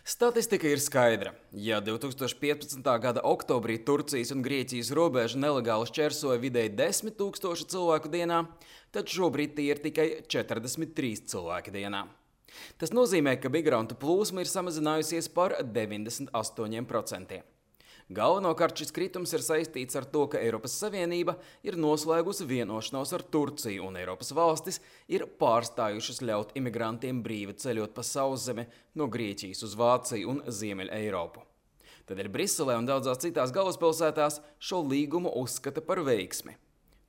Statistika ir skaidra. Ja 2015. gada oktobrī Turcijas un Grieķijas robežu nelegāli šķērsoja vidēji 10 000 cilvēku dienā, tad šobrīd tie ir tikai 43 cilvēki dienā. Tas nozīmē, ka migrantu plūsma ir samazinājusies par 98%. Galvenokārt šis kritums ir saistīts ar to, ka Eiropas Savienība ir noslēgusi vienošanos ar Turciju un Eiropas valstis ir pārstājušas ļaut imigrantiem brīvi ceļot pa sauszemi no Grieķijas uz Vāciju un Ziemeļa Eiropu. Tādēļ Briselē un daudzās citās galvaspilsētās šo līgumu uzskata par veiksmi.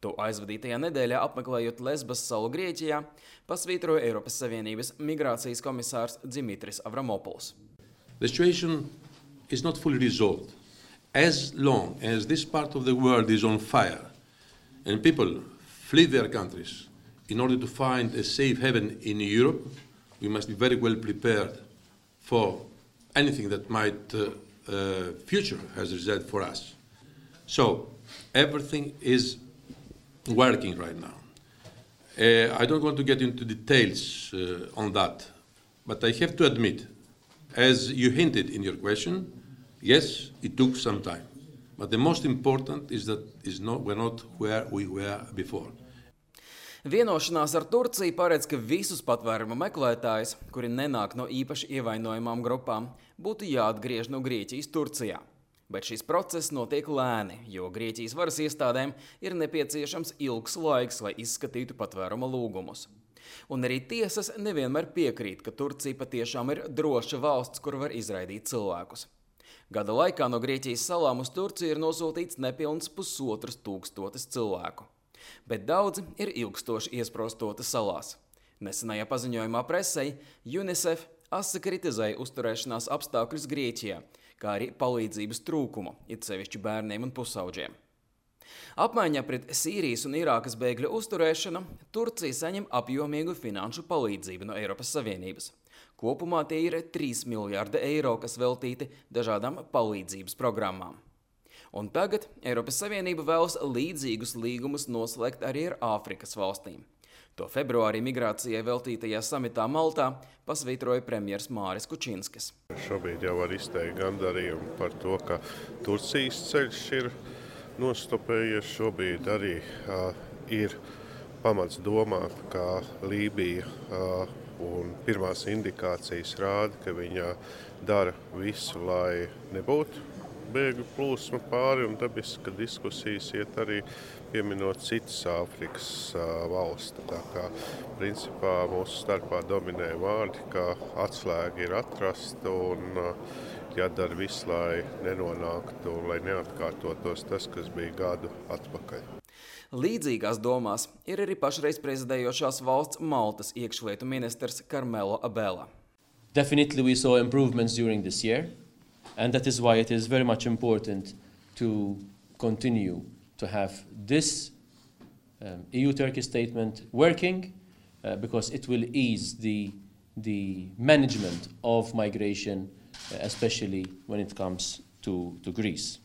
To aizvadītajā nedēļā apmeklējot Lesbas salu Grieķijā, pasvītroja Eiropas Savienības migrācijas komisārs Dimitris Avramopuls. The situation is not fully resolved. As long as this part of the world is on fire and people flee their countries in order to find a safe haven in Europe, we must be very well prepared for anything that might future has reserved for us. So everything is working right now. I don't want to get into details on that, but I have to admit, as you hinted in your question, yes, it took some time, but the most important is that we're not where we were before. Vienošanās ar Turciju paredz, ka visus patvērumu meklētājus, kuri nenāk no īpaši ievainojamām grupām, būtu jāatgriež no Grieķijas Turcijā. Bet šis process notiek lēni, jo Grieķijas varas iestādēm ir nepieciešams ilgs laiks, lai izskatītu patvēruma lūgumus. Un arī tiesas nevienmēr piekrīt, ka Turcija patiešām ir droša valsts, kur var izraidīt cilvēkus. Gada laikā no Grieķijas salām uz Turciju ir nosūtīts nepilns 1500 cilvēku. Bet daudzi ir ilgstoši iesprostoti salās. Nesenajā paziņojumā presei UNICEF asi kritizēja uzturēšanās apstākļus Grieķijā, kā arī palīdzības trūkumu, it sevišķi bērniem un pusauģiem. Apmaiņā pret Sīrijas un Irākas bēgļu uzturēšanu Turcija saņem apjomīgu finanšu palīdzību no Eiropas Savienības. Kopumā tie ir 3 miljārdi eiro, kas veltīti dažādām palīdzības programmām. Un tagad Eiropas Savienība vēlas līdzīgus līgumus noslēgt arī ar Āfrikas valstīm. To februārī migrācijai veltītajā samitā Maltā pasvītroja premjers Māris Kučinskis. Šobrīd jau var izteikt gandarījumu par to, ka Turcijas ceļš ir nostopējies. Šobrīd arī ir pamats domāt, ka Lībija un pirmās indikācijas rāda, ka viņa dara visu, lai nebūtu bēgļu plūsma pāri, un dabiski, ka diskusijas iet arī pieminot citas Āfrikas valsts. Tā kā principā mūsu starpā dominē vārdi, ka atslēga ir atrasta un jādara viss, lai nenonāktu, lai neatkārtotos tas, kas bija gadu atpakaļ. Līdzīgās domās ir arī pašreiz prezidējošās valsts Maltas iekšlietu ministrs Karmelo Abela. Definitely we saw improvements during this year, and that is why it is very much important to continue to have this EU-Turkey statement working because it will ease the management of migration, especially when it comes to Greece.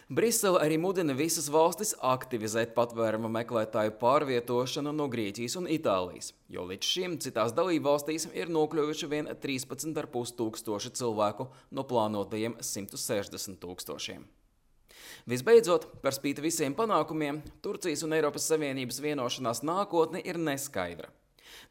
Brisele arī mudina visas valstis aktivizēt patvēruma meklētāju pārvietošanu no Grieķijas un Itālijas, jo līdz šim citās dalībvalstīs ir nokļuvuši vien 13,5 tūkstoši cilvēku no plānotajiem 160 000. Visbeidzot, par spīti visiem panākumiem, Turcijas un Eiropas Savienības vienošanās nākotne ir neskaidra.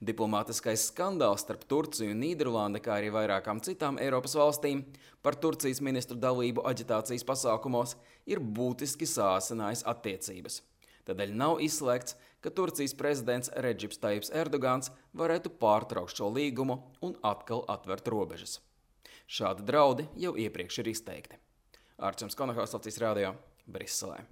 Diplomātiskais skandāls starp Turciju un Nīderlandi, kā arī vairākām citām Eiropas valstīm par Turcijas ministru dalību aģitācijas pasākumos ir būtiski sāsinājis attiecības. Tādēļ nav izslēgts, ka Turcijas prezidents Redžips Tajips Erdogans varētu pārtraukt šo līgumu un atkal atvert robežas. Šādi draudi jau iepriekš ir izteikti. Arčuns Konohaus, Latvijas radio, Briselē.